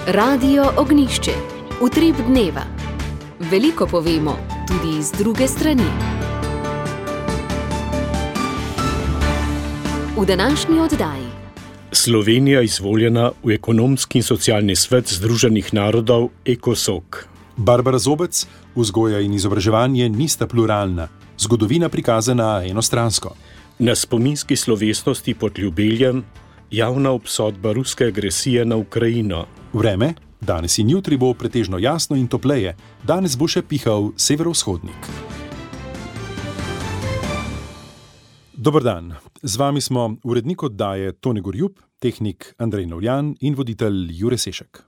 Radio Ognišče, utrip dneva. Veliko povemo, tudi iz druge strani. V današnji oddaji. Slovenija izvoljena v ekonomski in socialni svet Združenih narodov ECOSOC. Barbara Zobec, vzgoja in izobraževanje nista pluralna, zgodovina prikazana enostransko. Na spominski slovesnosti pod Ljubeljem javna obsodba ruske agresije na Ukrajino. Vreme, danes in jutri bo pretežno jasno in topleje, danes bo še pihal severovzhodnik. Dober dan, z vami smo urednik oddaje Tone Gorjup, tehnik Andrej Novljan in voditelj Jure Sešek.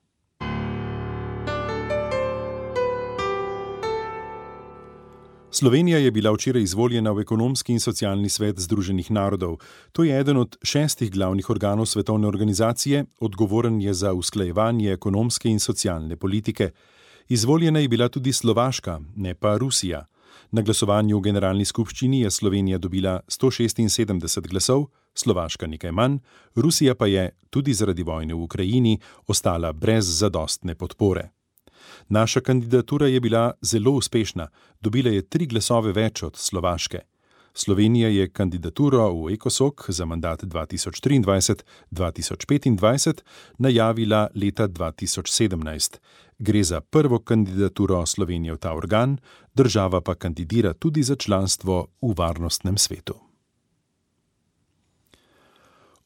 Slovenija je bila včeraj izvoljena v ekonomski in socialni svet Združenih narodov. To je eden od 6 glavnih organov svetovne organizacije, odgovoren je za usklajevanje ekonomske in socialne politike. Izvoljena je bila tudi Slovaška, ne pa Rusija. Na glasovanju v generalni skupščini je Slovenija dobila 176 glasov, Slovaška nekaj manj, Rusija pa je, tudi zaradi vojne v Ukrajini, ostala brez zadostne podpore. Naša kandidatura je bila zelo uspešna, dobila je 3 glasove več od Slovaške. Slovenija je kandidaturo v ECOSOC za mandat 2023-2025 najavila leta 2017. Gre za prvo kandidaturo Slovenije v ta organ, država pa kandidira tudi za članstvo v Varnostnem svetu.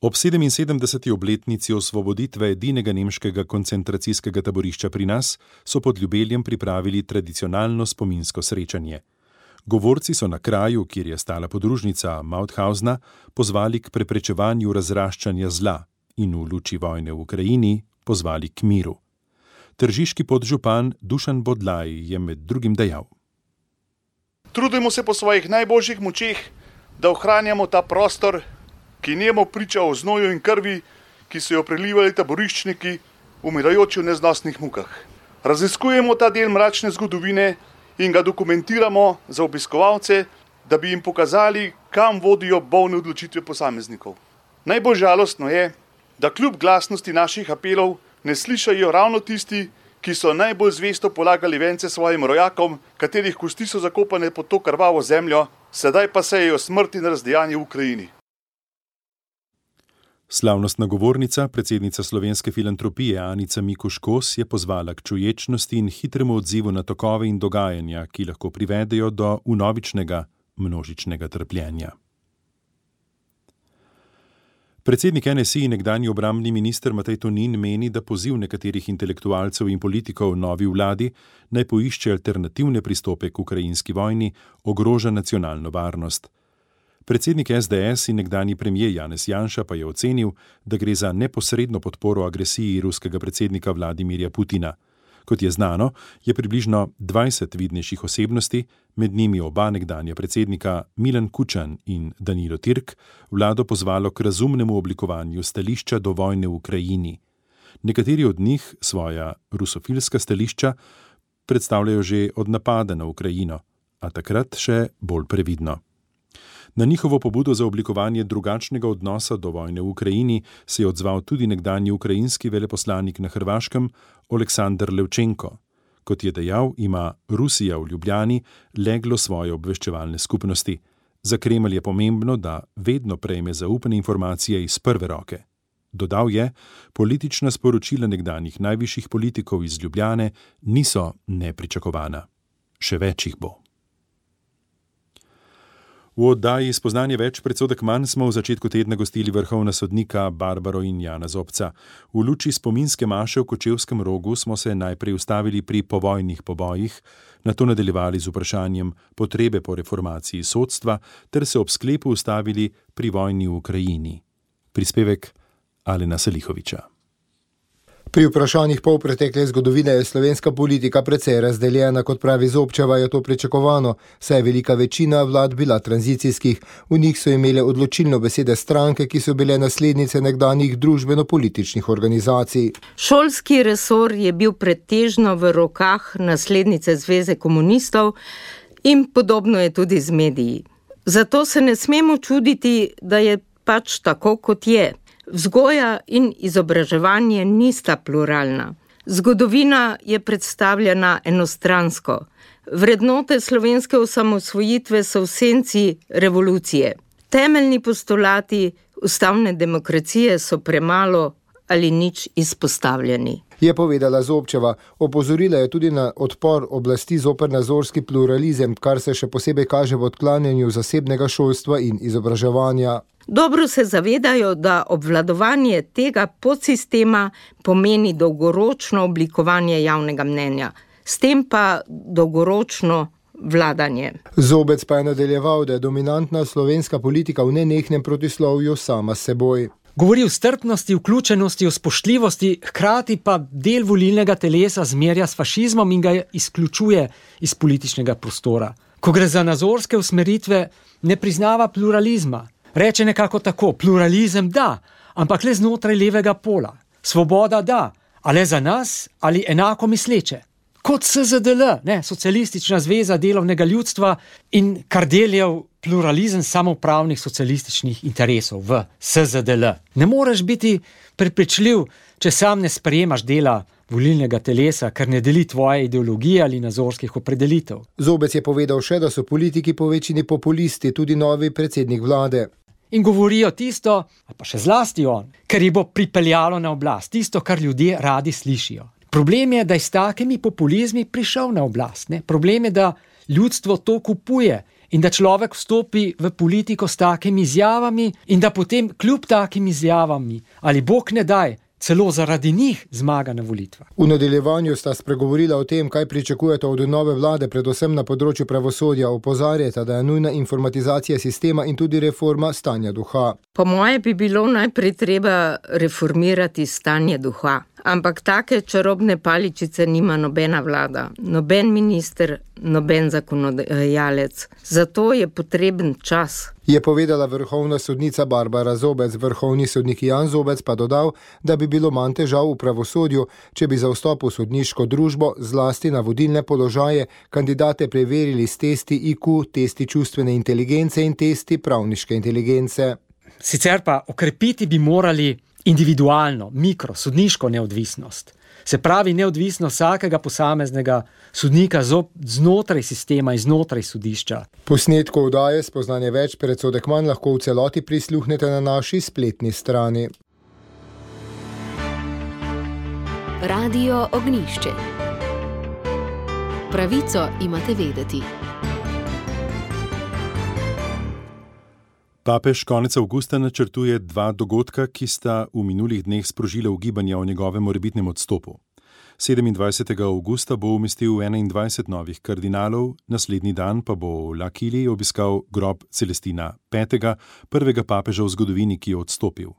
Ob 77. obletnici osvoboditve edinega nemškega koncentracijskega taborišča pri nas so pod Ljubeljem pripravili tradicionalno spominsko srečanje. Govorci so na kraju, kjer je stala podružnica Mauthausna, pozvali k preprečevanju razraščanja zla in v luči vojne v Ukrajini pozvali k miru. Tržiški podžupan Dušan Bodlaj je med drugim dejal: Trudimo se po svojih najboljših močeh, da ohranjamo ta prostor, ki nemo priča o znoju in krvi, ki so jo prelivali taboriščniki, umirajoči v neznosnih mukah. Raziskujemo ta del mračne zgodovine in ga dokumentiramo za obiskovalce, da bi jim pokazali, kam vodijo bolne odločitve posameznikov. Najbolj žalostno je, da kljub glasnosti naših apelov ne slišajo ravno tisti, ki so najbolj zvesto polagali vence svojim rojakom, katerih kosti so zakopane pod to krvavo zemljo, sedaj pa sejejo smrt in razdejanje v Ukrajini. Slavnostna govornica, predsednica Slovenske filantropije Anica Mikuš-Kos je pozvala k čuječnosti in hitremu odzivu na tokove in dogajanja, ki lahko privedejo do vnovičnega množičnega trpljenja. Predsednik NSI in nekdanji obrambni minister Matej Tonin meni, da poziv nekaterih intelektualcev in politikov novi vladi naj poišče alternativne pristope k ukrajinski vojni ogroža nacionalno varnost. Predsednik SDS in nekdanji premier Janez Janša pa je ocenil, da gre za neposredno podporo agresiji ruskega predsednika Vladimirja Putina. Kot je znano, je približno 20 vidnejših osebnosti, med njimi oba nekdanja predsednika Milan Kučan in Danilo Türk, vlado pozvalo k razumnemu oblikovanju stališča do vojne v Ukrajini. Nekateri od njih svoja rusofilska stališča predstavljajo že od napada na Ukrajino, a takrat še bolj previdno. Na njihovo pobudo za oblikovanje drugačnega odnosa do vojne v Ukrajini se je odzval tudi nekdanji ukrajinski veleposlanik na Hrvaškem Oleksandr Levčenko. Kot je dejal, ima Rusija v Ljubljani leglo svoje obveščevalne skupnosti. Za Kremelj je pomembno, da vedno prejme zaupane informacije iz prve roke. Dodal je, politična sporočila nekdanjih najvišjih politikov iz Ljubljane niso nepričakovana. Še več jih bo. V oddaji Spoznanje več, predsodek manj smo v začetku tedna gostili vrhovna sodnika Barbaro in Jana Zobca. V luči spominske maše v Kočevskem Rogu smo se najprej ustavili pri povojnih pobojih, nato nadaljevali z vprašanjem potrebe po reformaciji sodstva ter se ob sklepu ustavili pri vojni v Ukrajini. Prispevek Alena Selihoviča. Pri vprašanjih polpretekle zgodovine je slovenska politika precej razdeljena, kot pravi Zobčeva, je to pričakovano, saj je velika večina vlad bila tranzicijskih. V njih so imele odločilno besede stranke, ki so bile naslednice nekdanjih družbeno-političnih organizacij. Šolski resor je bil pretežno v rokah naslednice Zveze komunistov in podobno je tudi z mediji. Zato se ne smemo čuditi, da je pač tako, kot je. Vzgoja in izobraževanje nista pluralna. Zgodovina je predstavljena enostransko. Vrednote slovenske osamosvojitve so v senci revolucije. Temeljni postulati ustavne demokracije so premalo ali nič izpostavljeni. Je povedala Zobčeva. Opozorila je tudi na odpor oblasti zoper nazorski pluralizem, kar se še posebej kaže v odklanjanju zasebnega šolstva in izobraževanja. Dobro se zavedajo, da obvladovanje tega podsistema pomeni dolgoročno oblikovanje javnega mnenja, s tem pa dolgoročno vladanje. Zobec pa je nadaljeval, da je dominantna slovenska politika v nenehnem protislovju sama s seboj. Govori o strpnosti, vključenosti, o spoštljivosti, hkrati pa del volilnega telesa zmerja s fašizmom in ga izključuje iz političnega prostora. Ko gre za nazorske usmeritve, ne priznava pluralizma. Reče nekako tako, pluralizem da, ampak le znotraj levega pola. Svoboda da, a le za nas ali enako misleče. Kot SZDL, Socialistična zveza delovnega ljudstva in Kardeljev pluralizem samoupravnih socialističnih interesov v SZDL. Ne moreš biti prepričljiv, če sam ne sprejemaš dela volilnega telesa, ker ne deli tvoje ideologije ali nazorskih opredelitev. Zobec je povedal še, da so politiki po večini populisti, tudi novi predsednik vlade. In govorijo tisto, pa še zlasti on, ker jih bo pripeljalo na oblast, tisto, kar ljudje radi slišijo. Problem je, da je s takimi populizmi prišel na oblast. Problem je, da ljudstvo to kupuje in da človek vstopi v politiko s takimi izjavami in da potem kljub takim izjavami ali bog ne daj, celo zaradi njih zmaga na volitvah. V nadaljevanju sta spregovorila o tem, kaj pričakujete od nove vlade, predvsem na področju pravosodja. Opozarjata, da je nujna informatizacija sistema in tudi reforma stanja duha. Po moje bi bilo najprej treba reformirati stanje duha. Ampak take čarobne paličice nima nobena vlada, noben minister, noben zakonodajalec. Zato je potreben čas. Je povedala vrhovna sodnica Barbara Zobec. Vrhovni sodnik Jan Zobec pa dodal, da bi bilo manj težav v pravosodju, če bi za vstop v sodniško družbo, zlasti na vodilne položaje, kandidate preverili s testi IQ, testi čustvene inteligence in testi pravniške inteligence. Sicer pa okrepiti bi morali individualno, sodniško neodvisnost. Se pravi neodvisnost vsakega posameznega sodnika znotraj sistema in znotraj sodišča. Posnetku oddaje Spoznanje več predsodek manj lahko v celoti prisluhnete na naši spletni strani. Radio Ognjišče. Pravico imate vedeti. Papež konec avgusta načrtuje 2 dogodka, ki sta v minulih dneh sprožila ugibanja o njegovem morebitnem odstopu. 27. avgusta bo umestil 21 novih kardinalov, naslednji dan pa bo v L'Aquili obiskal grob Celestina V., prvega papeža v zgodovini, ki je odstopil.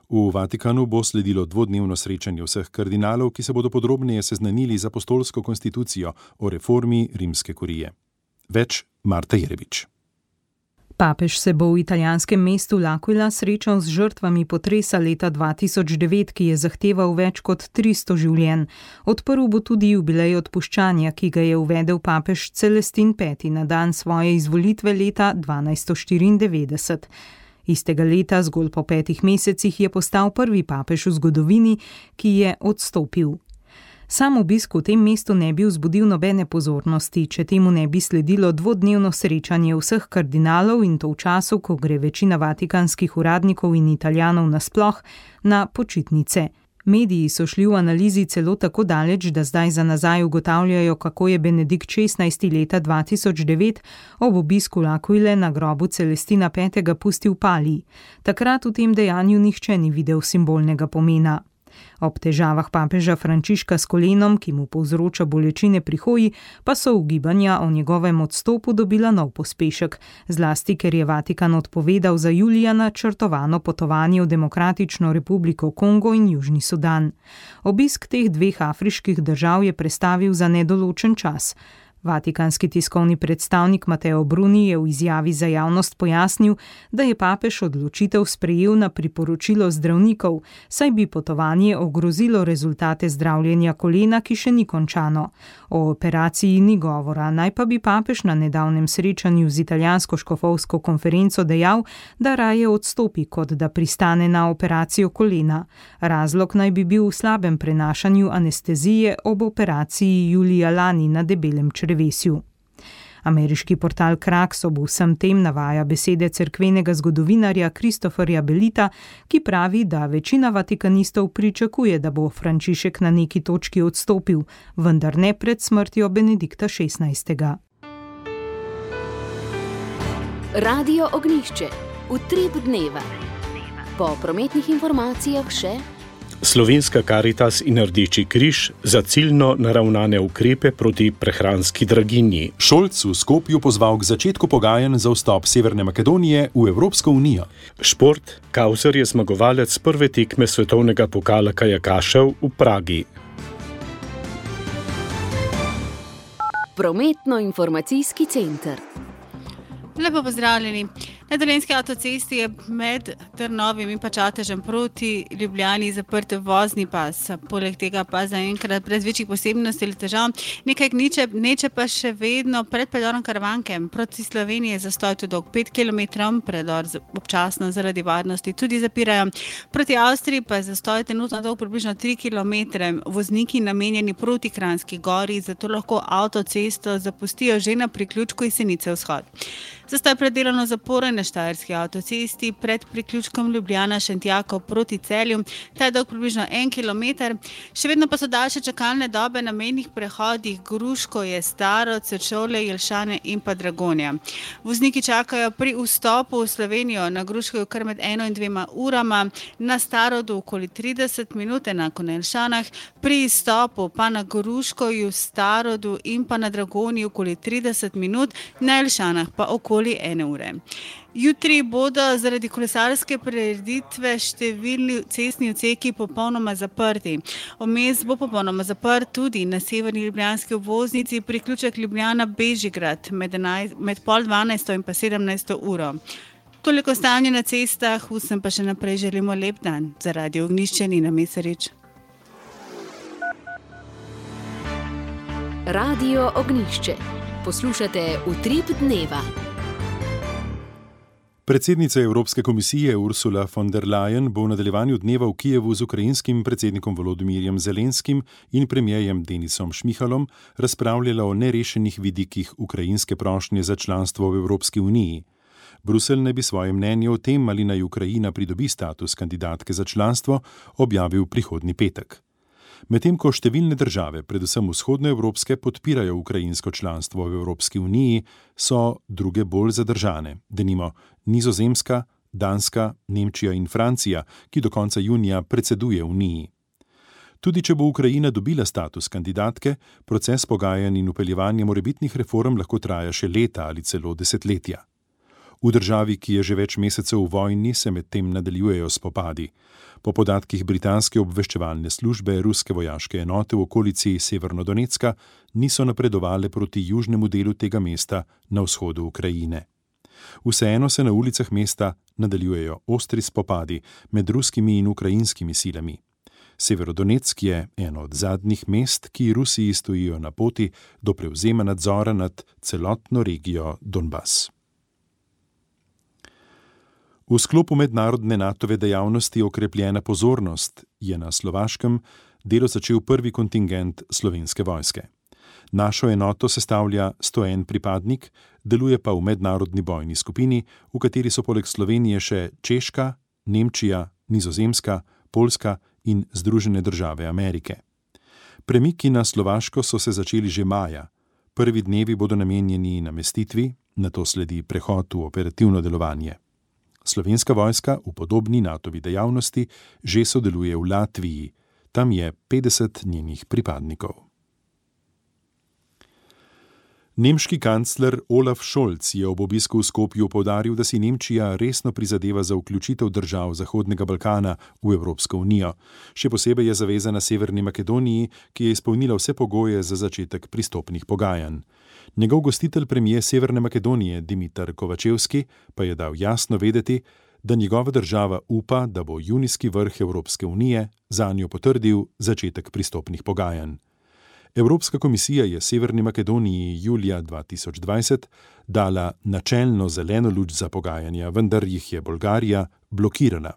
V Vatikanu bo sledilo 2-dnevno srečanje vseh kardinalov, ki se bodo podrobneje seznanili z apostolsko konstitucijo o reformi rimske kurije. Več Marta Jerebič. Papež se bo v italijanskem mestu L'Aquila srečal z žrtvami potresa leta 2009, ki je zahteval več kot 300 življenj. Odprl bo tudi jubilej odpuščanja, ki ga je uvedel papež Celestin V. na dan svoje izvolitve leta 1294. Istega leta, zgolj po 5 mesecih, je postal prvi papež v zgodovini, ki je odstopil. Sam obisk v tem mestu ne bi vzbudil nobene pozornosti, če temu ne bi sledilo 2-dnevno srečanje vseh kardinalov in to v času, ko gre večina vatikanskih uradnikov in Italijanov nasploh na počitnice. Mediji so šli v analizi celo tako daleč, da zdaj za nazaj ugotavljajo, kako je Benedikt XVI. Leta 2009 ob obisku L'Aquile na grobu Celestina V. pustil palij. Takrat v tem dejanju nihče ni videl simbolnega pomena. Ob težavah papeža Frančiška s kolenom, ki mu povzroča bolečine pri hoji, pa so ugibanja o njegovem odstopu dobila nov pospešek, zlasti ker je Vatikan odpovedal za julija načrtovano potovanje v Demokratično republiko Kongo in Južni Sudan. Obisk teh 2 afriških držav je prestavil za nedoločen čas. Vatikanski tiskovni predstavnik Mateo Bruni je v izjavi za javnost pojasnil, da je papež odločitev sprejel na priporočilo zdravnikov, saj bi potovanje ogrozilo rezultate zdravljenja kolena, ki še ni končano. O operaciji ni govora, naj pa bi papež na nedavnem srečanju z italijansko škofovsko konferenco dejal, da raje odstopi, kot da pristane na operacijo kolena. Razlog naj bi bil v slabem prenašanju anestezije ob operaciji julija lani na debelem črevesju. Ameriški portal Kraks ob vsem tem navaja besede cerkvenega zgodovinarja Christopherja Bellita, ki pravi, da večina vatikanistov pričakuje, da bo Frančišek na neki točki odstopil, vendar ne pred smrtjo Benedikta XVI. Radio Ognjišče, utrip dneva. Po prometnih informacijah še Slovenska Karitas in Rdeči križ za ciljno naravnane ukrepe proti prehranski draginji. Šolc v Skopju pozval k začetku pogajanj za vstop Severne Makedonije v Evropsko unijo. Šport. Kauser je zmagovalec prve tekme svetovnega pokala kajakašev v Pragi. Prometno-informacijski center. Lepo pozdravljeni. Na Dolenjski avtocesti je med Trnovim in Čatežem proti Ljubljani zaprt vozni pas. Poleg tega pa zaenkrat brez večjih posebnosti ali težav. Nekaj gneče pa še vedno pred predorom Karavanke. Proti Sloveniji je zastoj tudi dolg 5 km, predor občasno zaradi varnosti tudi zapirajo. Proti Avstriji pa je zastoj trenutno dolg približno 3 km. Vozniki namenjeni proti Kranjski gori, zato lahko avtocesto zapustijo že na priključku Jesenice vzhod. Zastoj predelovno zaporen na Štajerski avtocesti pred priključkom Ljubljana-Šentjakov proti Celju. Ta je dolg približno 1 km. Še vedno pa so daljše čakalne dobe na mejnih prehodih Gruško je Staro, Sečovlje, Jelšane in pa Dragonja. Vozniki čakajo pri vstopu v Slovenijo na Gruško kar med 1 in 2 urama, na Starodu okoli 30 minut, enako na Jelšanah, pri izstopu pa na Gruško v Starodu in pa na Dragonji okoli 30 minut, na Jelšanah pa okoli 1 ure. Jutri bodo zaradi kolesarske prireditve številni cestni odseki popolnoma zaprti. Vmes bo popolnoma zaprt tudi na severni ljubljanski obvoznici priključek Ljubljana-Bežigrad med pol 12 in pa 17 uro. Toliko stanje na cestah, vsem pa še naprej želimo lep dan. Za Radio Ognjišče Nina Mesarič. Radio Ognjišče. Poslušate Utrip dneva. Predsednica Evropske komisije Ursula von der Leyen bo v nadaljevanju dneva v Kijevu z ukrajinskim predsednikom Volodymyrjem Zelenskim in premierjem Denisom Šmihalom razpravljala o nerešenih vidikih ukrajinske prošnje za članstvo v Evropski uniji. Bruselj naj bi svoje mnenje o tem, ali naj Ukrajina pridobi status kandidatke za članstvo, objavil prihodnji petek. Medtem ko številne države, predvsem vzhodnoevropske, podpirajo ukrajinsko članstvo v Evropski uniji, so druge bolj zadržane, denimo Nizozemska, Danska, Nemčija in Francija, ki do konca junija predseduje uniji. Tudi če bo Ukrajina dobila status kandidatke, proces pogajanj in vpeljevanja morebitnih reform lahko traja še leta ali celo desetletja. V državi, ki je že več mesecev v vojni, se medtem nadaljujejo spopadi. Po podatkih britanske obveščevalne službe, ruske vojaške enote v okolici Severnodonecka niso napredovale proti južnemu delu tega mesta na vzhodu Ukrajine. Vseeno se na ulicah mesta nadaljujejo ostri spopadi med ruskimi in ukrajinskimi silami. Severodonetsk je eno od zadnjih mest, ki Rusiji stojijo na poti do prevzema nadzora nad celotno regijo Donbas. V sklopu mednarodne NATO-ve dejavnosti Okrepljena pozornost je na Slovaškem delo začel prvi kontingent Slovenske vojske. Našo enoto sestavlja 101 pripadnik, deluje pa v mednarodni bojni skupini, v kateri so poleg Slovenije še Češka, Nemčija, Nizozemska, Poljska in Združene države Amerike. Premiki na Slovaško so se začeli že maja. Prvi dnevi bodo namenjeni namestitvi, nato sledi prehod v operativno delovanje. Slovenska vojska v podobni NATO-vi dejavnosti že sodeluje v Latviji. Tam je 50 njenih pripadnikov. Nemški kancler Olaf Scholz je ob obisku v Skopju poudaril, da si Nemčija resno prizadeva za vključitev držav Zahodnega Balkana v Evropsko unijo. Še posebej je zavezana Severni Makedoniji, ki je izpolnila vse pogoje za začetek pristopnih pogajanj. Njegov gostitelj premijer Severne Makedonije Dimitar Kovačevski pa je dal jasno vedeti, da njegova država upa, da bo junijski vrh Evropske unije zanjo potrdil začetek pristopnih pogajanj. Evropska komisija je Severni Makedoniji julija 2020 dala načelno zeleno luč za pogajanja, vendar jih je Bolgarija blokirala.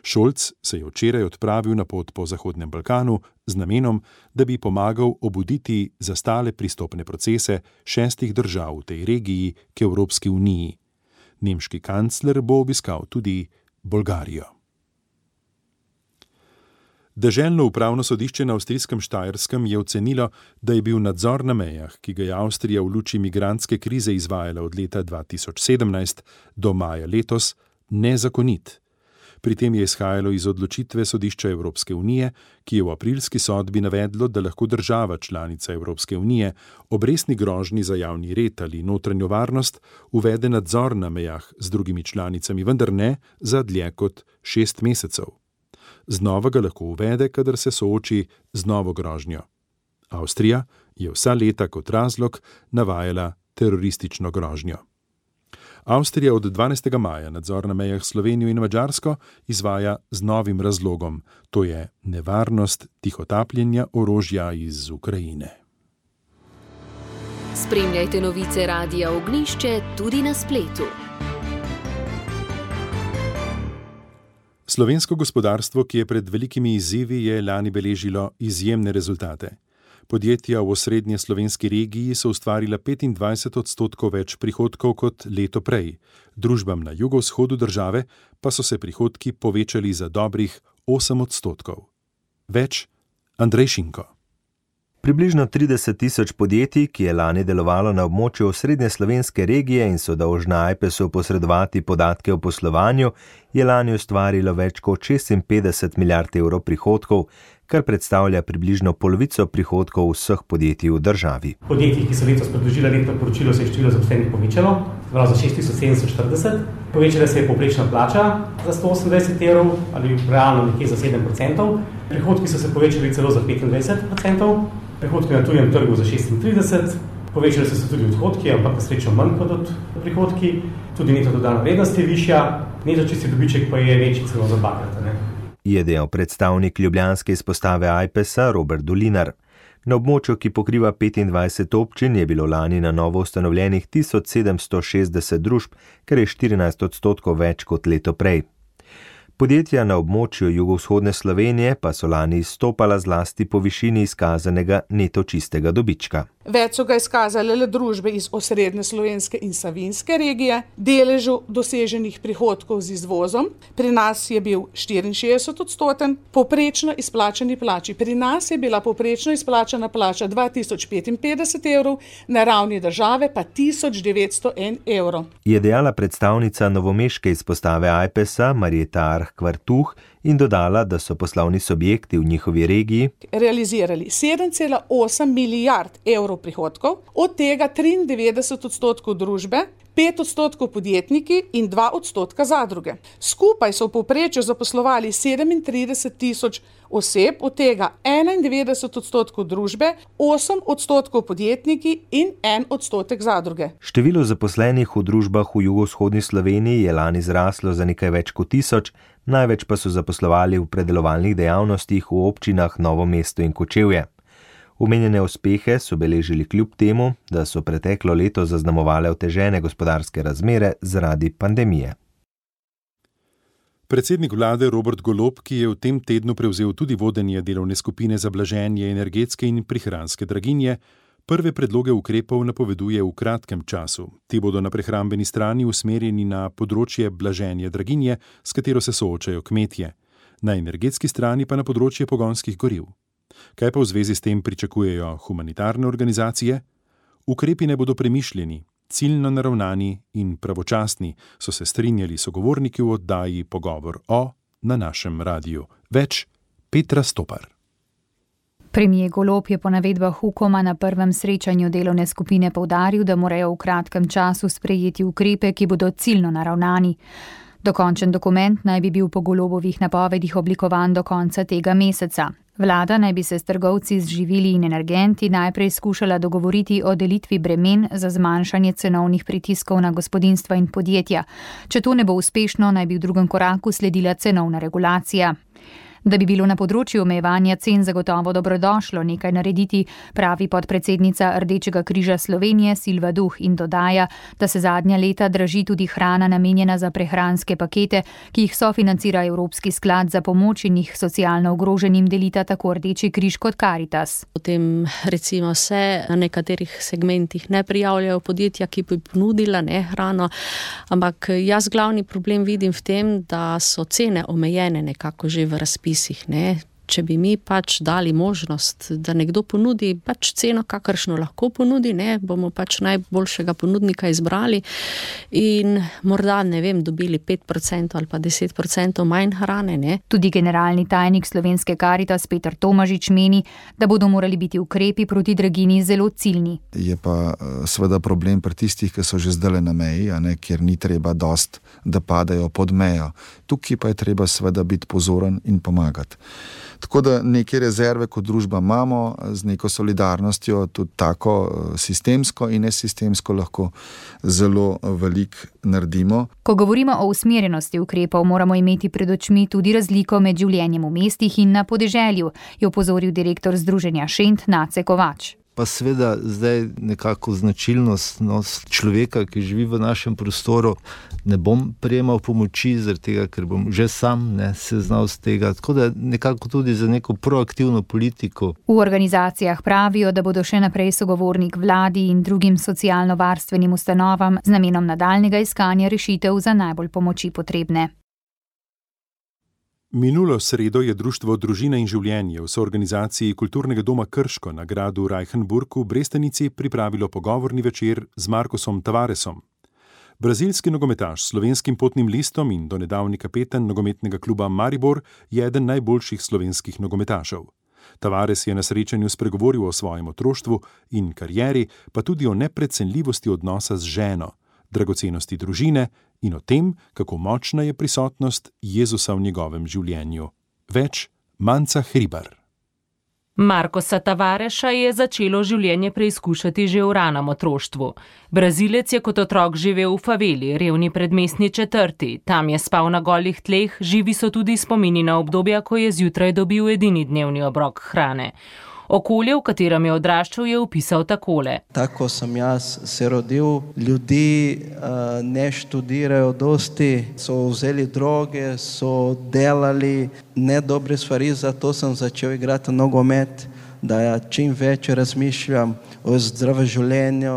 Scholz se je včeraj odpravil na pot po Zahodnem Balkanu z namenom, da bi pomagal obuditi zastale pristopne procese 6 držav v tej regiji k Evropski uniji. Nemški kancler bo obiskal tudi Bolgarijo. Deželno upravno sodišče na avstrijskem Štajerskem je ocenilo, da je bil nadzor na mejah, ki ga je Avstrija v luči migrantske krize izvajala od leta 2017 do maja letos, nezakonit. Pri tem je izhajalo iz odločitve sodišča Evropske unije, ki je v aprilski sodbi navedlo, da lahko država članica Evropske unije ob resni grožnji za javni red ali notranjo varnost uvede nadzor na mejah z drugimi članicami, vendar ne za dlje kot 6 mesecev. Znova ga lahko uvede, kadar se sooči z novo grožnjo. Avstrija je vsa leta kot razlog navajala teroristično grožnjo. Avstrija od 12. maja nadzor na mejah s Slovenijo in Madžarsko izvaja z novim razlogom, to je nevarnost tihotapljenja orožja iz Ukrajine. Spremljajte novice Radia Ognjišče tudi na spletu. Slovensko gospodarstvo, ki je pred velikimi izzivi, je lani beležilo izjemne rezultate. Podjetja v osrednje slovenski regiji so ustvarila 25% več prihodkov kot leto prej. Družbam na jugovzhodu države pa so se prihodki povečali za dobrih 8%. Več Andrej Šinko. Približno 30 tisoč podjetij, ki je lani delovalo na območju osrednje slovenske regije in so dolžna AJPES-u posredovati podatke o poslovanju, je lani ustvarilo več kot 56 milijard evrov prihodkov, kar predstavlja približno polovico prihodkov vseh podjetij v državi. Podjetij, ki so letos predložila letno poročilo, se je število zaposlenih povečalo, za 6740. Povečala se je povprečna plača za 128 evrov ali realno nekje za 7%. Prihodki so se povečali celo za 25%. Prihodki na tujem trgu za 36%, povečali so se tudi odhodki, ampak na srečo manj kot od prihodki, tudi neto dodana vrednost je višja, neto čisti dobiček pa je večji celo za 2-krat. Je dejal predstavnik ljubljanske izpostave AJPES-a Robert Dolinar. Na območju, ki pokriva 25 občin, je bilo lani na novo ustanovljenih 1760 družb, kar je 14% več kot leto prej. Podjetja na območju jugovzhodne Slovenije pa so lani izstopala zlasti po višini izkazanega neto čistega dobička. Več so ga izkazale le družbe iz osrednje slovenske in savinjske regije, deležu doseženih prihodkov z izvozom. Pri nas je bil 64%, povprečno izplačani plači. Pri nas je bila povprečno izplačana plača 2055 evrov, na ravni države pa 1901 evrov. Je dejala predstavnica novomeške izpostave AJPES-a Marjeta Arh-Kvartuh in dodala, da so poslovni subjekti v njihovi regiji realizirali 7,8 milijard evrov prihodkov, od tega 93% družbe, 5% podjetniki in 2% zadruge. Skupaj so v povprečju zaposlovali 37 tisoč oseb, od tega 91% družbe, 8% podjetniki in 1% zadruge. Število zaposlenih v družbah v jugovzhodni Sloveniji je lani zraslo za nekaj več kot 1000, največ pa so zaposlovali v predelovalnih dejavnostih v občinah Novo mesto in Kočevje. Omenjene uspehe so beležili kljub temu, da so preteklo leto zaznamovale otežene gospodarske razmere zaradi pandemije. Predsednik vlade Robert Golob, ki je v tem tednu prevzel tudi vodenje delovne skupine za blaženje energetske in prihranske draginje, prve predloge ukrepov napoveduje v kratkem času. Ti bodo na prehrambeni strani usmerjeni na področje blaženja draginje, s katero se soočajo kmetje, na energetski strani pa na področje pogonskih goriv. Kaj pa v zvezi s tem pričakujejo humanitarne organizacije? Ukrepi ne bodo premišljeni, ciljno naravnani in pravočasni, so se strinjali sogovorniki v oddaji Pogovor o na našem radiju. Več Petra Stopar. Premier Golob je po navedbah Ukoma na prvem srečanju delovne skupine poudaril, da morajo v kratkem času sprejeti ukrepe, ki bodo ciljno naravnani. Dokončen dokument naj bi bil po Golobovih napovedih oblikovan do konca tega meseca. Vlada naj bi se s trgovci z živili in energenti najprej skušala dogovoriti o delitvi bremen za zmanjšanje cenovnih pritiskov na gospodinjstva in podjetja. Če to ne bo uspešno, naj bi v drugem koraku sledila cenovna regulacija. Da bi bilo na področju omejevanja cen zagotovo dobrodošlo nekaj narediti, pravi podpredsednica Rdečega križa Slovenije Silva Duh in dodaja, da se zadnja leta draži tudi hrana namenjena za prehranske pakete, ki jih sofinancira Evropski sklad za pomoč in jih socialno ogroženim delita tako Rdeči križ kot Karitas. Potem recimo se na nekaterih segmentih ne prijavljajo podjetja, ki bi ponudila hrano, ampak jaz glavni problem vidim v tem, da so cene omejene nekako že v razpisih. Če bi mi dali možnost, da nekdo ponudi ceno, kakršno lahko ponudi, bomo najboljšega ponudnika izbrali in morda, dobili 5% ali pa 10% manj hrane. Tudi generalni tajnik Slovenske Karitas Peter Tomažič meni, da bodo morali biti ukrepi proti draginji zelo ciljni. Je pa seveda problem pri tistih, ki so že zdaj na meji, kjer ni treba dost, da padajo pod mejo. Tukaj pa je treba seveda biti pozoren in pomagati. Tako da neke rezerve kot družba imamo, z neko solidarnostjo, tudi tako sistemsko in nesistemsko lahko zelo veliko naredimo. Ko govorimo o usmerjenosti ukrepov, moramo imeti pred očmi tudi razliko med življenjem v mestih in na podeželju, je opozoril direktor Združenja Šent Nace Kovač. Pa seveda zdaj nekako značilnost človeka, ki živi v našem prostoru, ne bom prejemal pomoči, zaradi tega, ker bom že sam seznal z tega, tako da nekako tudi za neko proaktivno politiko. V organizacijah pravijo, da bodo še naprej sogovornik vladi in drugim socialno-varstvenim ustanovam z namenom nadaljnjega iskanja rešitev za najbolj pomoči potrebne. Minulo sredo je Društvo Družina in življenje v soorganizaciji Kulturnega doma Krško na gradu Reichenburg v Brestanici pripravilo pogovorni večer z Marcosom Tavaresom. Brazilski nogometaš s slovenskim potnim listom in donedavni kapetan nogometnega kluba Maribor je eden najboljših slovenskih nogometašev. Tavares je na srečanju spregovoril o svojem otroštvu in karieri, pa tudi o neprecenljivosti odnosa z ženo, dragocenosti družine in o tem, kako močna je prisotnost Jezusa v njegovem življenju. Več Manca Hribar. Marcosa Tavareša je začelo življenje preizkušati že v ranem otroštvu. Brazilec je kot otrok živel v faveli, revni predmestni četrti. Tam je spal na golih tleh, živi so tudi spomini na obdobja, ko je zjutraj dobil edini dnevni obrok hrane. Okolje, v katerem je odraščal, je opisal takole. Tako sem jaz se rodil, ljudi ne študirajo dosti, so vzeli droge, so delali nedobre stvari, zato sem začel igrati nogomet, da ja čim več razmišljam o zdravem življenju.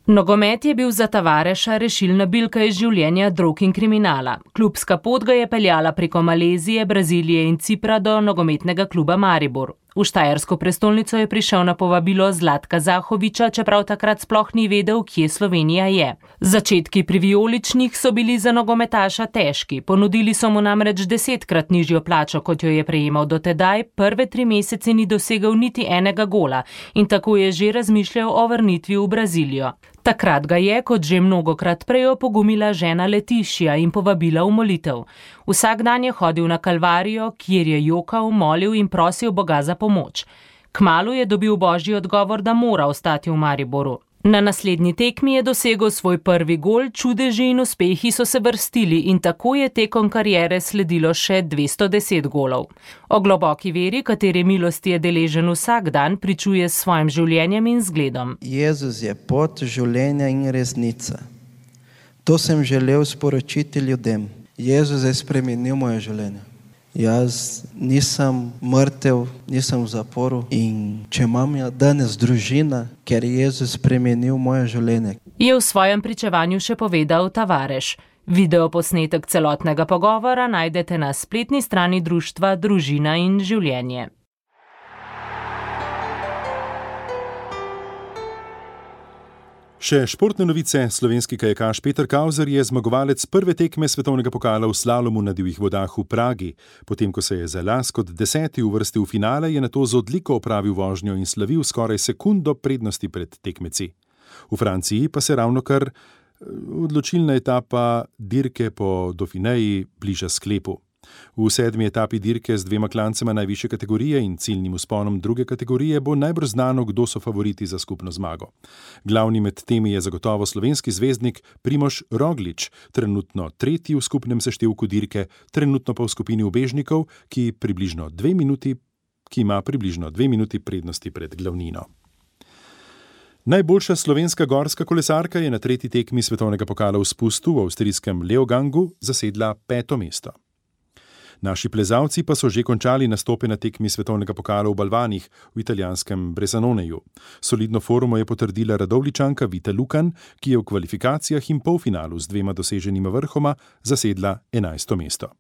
Nogomet je bil za Tavareša rešilna bilka iz življenja drog in kriminala. Klubska pot ga je peljala preko Malezije, Brazilije in Cipra do nogometnega kluba Maribor. V štajersko prestolnico je prišel na povabilo Zlatka Zahoviča, čeprav takrat sploh ni vedel, kje Slovenija je. Začetki pri vijoličnih so bili za nogometaša težki. Ponudili so mu namreč 10-krat nižjo plačo, kot jo je prejemal dotedaj, prve 3 mesece ni dosegel niti enega gola in tako je že razmišljal o vrnitvi v Brazilijo. Takrat ga je, kot že mnogokrat prej, opogumila žena Letišija in povabila v molitev. Vsak dan je hodil na Kalvarijo, kjer je jokal, molil in prosil Boga za pomoč. Kmalu je dobil božji odgovor, da mora ostati v Mariboru. Na naslednji tekmi je dosegel svoj prvi gol, čudeži in uspehi so se vrstili in tako je tekom kariere sledilo še 210 golov. O globoki veri, katere milosti je deležen vsak dan, pričuje s svojim življenjem in zgledom. Jezus je pot življenja in resnica. To sem želel sporočiti ljudem. Jezus je spremenil moje življenje. Jaz nisem mrtev, nisem v zaporu in če imam danes družina, ker je Jezus spremenil moje življenje. Je v svojem pričevanju še povedal Tavareš. Videoposnetek celotnega pogovora najdete na spletni strani društva Družina in življenje. Še športne novice. Slovenski kajakaš Peter Kauzer je zmagovalec prve tekme svetovnega pokala v slalomu na divjih vodah v Pragi. Potem, ko se je za las kot 10. uvrstil v finale, je nato z odliko opravil vožnjo in slavil skoraj sekundo prednosti pred tekmeci. V Franciji pa se ravnokar odločilna etapa dirke po Dauphineji bliža sklepu. V 7. etapi dirke z 2 klancema najvišje kategorije in ciljnim vzponom druge kategorije bo najbrž znano, kdo so favoriti za skupno zmago. Glavni med temi je zagotovo slovenski zvezdnik Primož Roglič, trenutno 3. v skupnem seštevku dirke, trenutno pa v skupini ubežnikov, ki ima približno 2 minuti prednosti pred glavnino. Najboljša slovenska gorska kolesarka je na 3. tekmi svetovnega pokala v spustu v avstrijskem Leogangu zasedla 5. mesto. Naši plezalci pa so že končali nastope na tekmi svetovnega pokala v Balvanih v italijanskem Bresanoneju. Solidno formo je potrdila Radovljičanka Vita Lukan, ki je v kvalifikacijah in polfinalu z 2 doseženima vrhoma zasedla 11. mesto.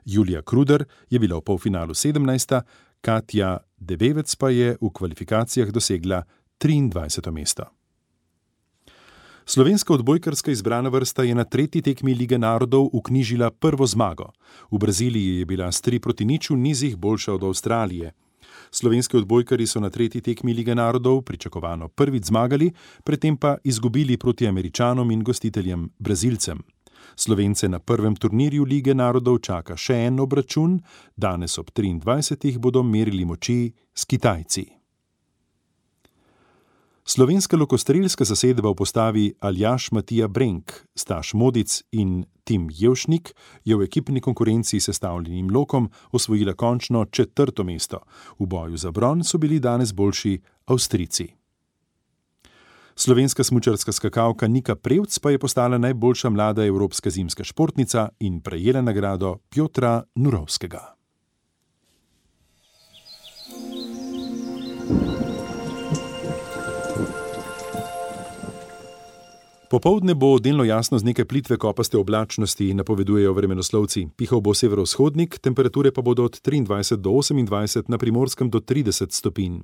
Julija Kruder je bila v polfinalu 17., Katja Debevec pa je v kvalifikacijah dosegla 23. mesto. Slovenska odbojkarska izbrana vrsta je na 3. tekmi Lige narodov vknjižila prvo zmago. V Braziliji je bila s 3-0 v nizih boljša od Avstralije. Slovenski odbojkarji so na 3. tekmi Lige narodov pričakovano prvič zmagali, predtem pa izgubili proti Američanom in gostiteljem Brazilcem. Slovence na prvem turnirju Lige narodov čaka še en obračun, danes ob 23. bodo merili moči s Kitajci. Slovenska lokostrelska zasedba v postavi Aljaž Matija Brenk, Staš Modic in Tim Jevšnik je v ekipni konkurenci s sestavljenim lokom osvojila končno 4. mesto. V boju za bron so bili danes boljši Avstrijci. Slovenska smučarska skakalka Nika Prevc pa je postala najboljša mlada evropska zimska športnica in prejela nagrado Pjotra Nurovskega. Popoldne bo delno jasno z nekaj plitve kopaste oblačnosti, napovedujejo vremenoslovci. Pihal bo severovzhodnik, temperature pa bodo od 23 do 28, na Primorskem do 30 stopinj.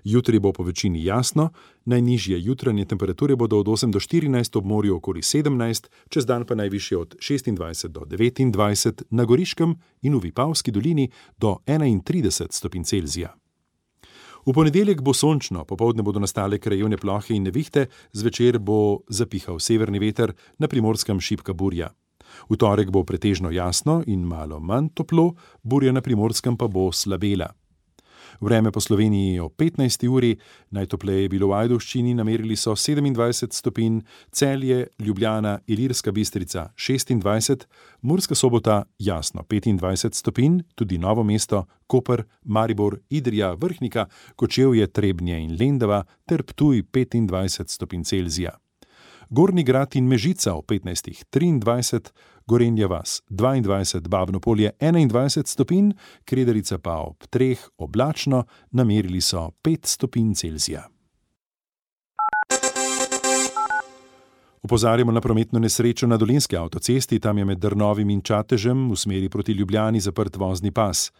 Jutri bo po večini jasno, najnižje jutranje temperature bodo od 8 do 14, ob morju okoli 17, čez dan pa najvišje od 26 do 29, na Goriškem in v Vipavski dolini do 31 stopinj Celzija. V ponedeljek bo sončno, popoldne bodo nastale krajevne plohe in nevihte, zvečer bo zapihal severni veter, na Primorskem šibka burja. V torek bo pretežno jasno in malo manj toplo, burja na Primorskem pa bo slabela. Vreme po Sloveniji o 15. uri, najtopleje je bilo v Ajdovščini, namerili so 27 stopinj, Celje, Ljubljana, Ilirska Bistrica 26, Murska Sobota jasno 25 stopinj, tudi Novo mesto, Koper, Maribor, Idrija, Vrhnika, Kočevje, Trebnje in Lendava ter Ptuj 25 stopinj Celzija. Gornji Grad in Mežica o 15. 23, Gorenja vas 22, Babno Polje 21 stopinj, Kredarica pa ob 3 oblačno, namerili so 5 stopinj Celzija. Opozarjamo na prometno nesrečo na Dolenjski avtocesti, tam je med Drnovim in Čatežem v smeri proti Ljubljani zaprt vozni pas.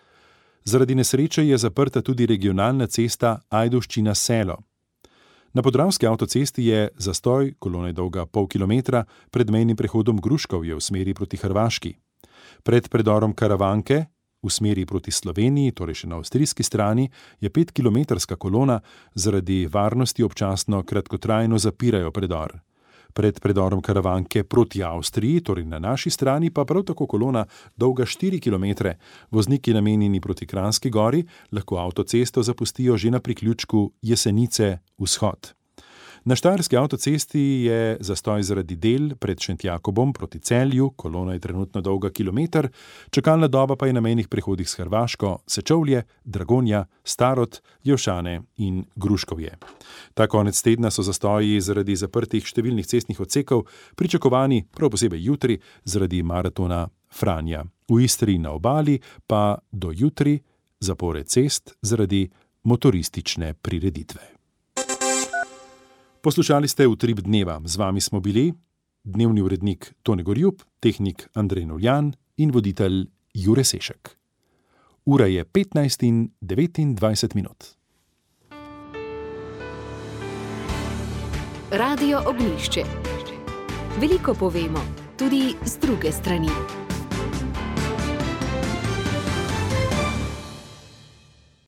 Zaradi nesreče je zaprta tudi regionalna cesta Ajdovščina-Selo. Na Podravski avtocesti je zastoj, kolona je dolga pol kilometra, pred mejnim prehodom Gruškovje v smeri proti Hrvaški. Pred predorom Karavanke v smeri proti Sloveniji, torej še na avstrijski strani, je 5-kilometrska kolona, zaradi varnosti občasno kratkotrajno zapirajo predor. Pred predorom Karavanke proti Avstriji, torej na naši strani, pa prav tako kolona dolga 4 km. Vozniki namenjeni proti Kranjski gori lahko avtocesto zapustijo že na priključku Jesenice vzhod. Na Štajerski avtocesti je zastoj zaradi del pred Šentjakobom proti Celju, kolona je trenutno dolga kilometer, čakalna doba pa je na mejnih prehodih s Hrvaško, Sečovlje, Dragonja, Starod, Jevšane in Gruškovje. Ta konec tedna so zastoji zaradi zaprtih številnih cestnih odsekov pričakovani prav posebej jutri zaradi maratona Franja. V Istri na obali pa do jutri zapore cest zaradi motoristične prireditve. Poslušali ste Utrip dneva. Z vami smo bili dnevni urednik Tone Gorjup, tehnik Andrej Novljan in voditelj Jure Sešek. Ura je 15:29. Radio Ognjišče. Veliko povemo, tudi z druge strani.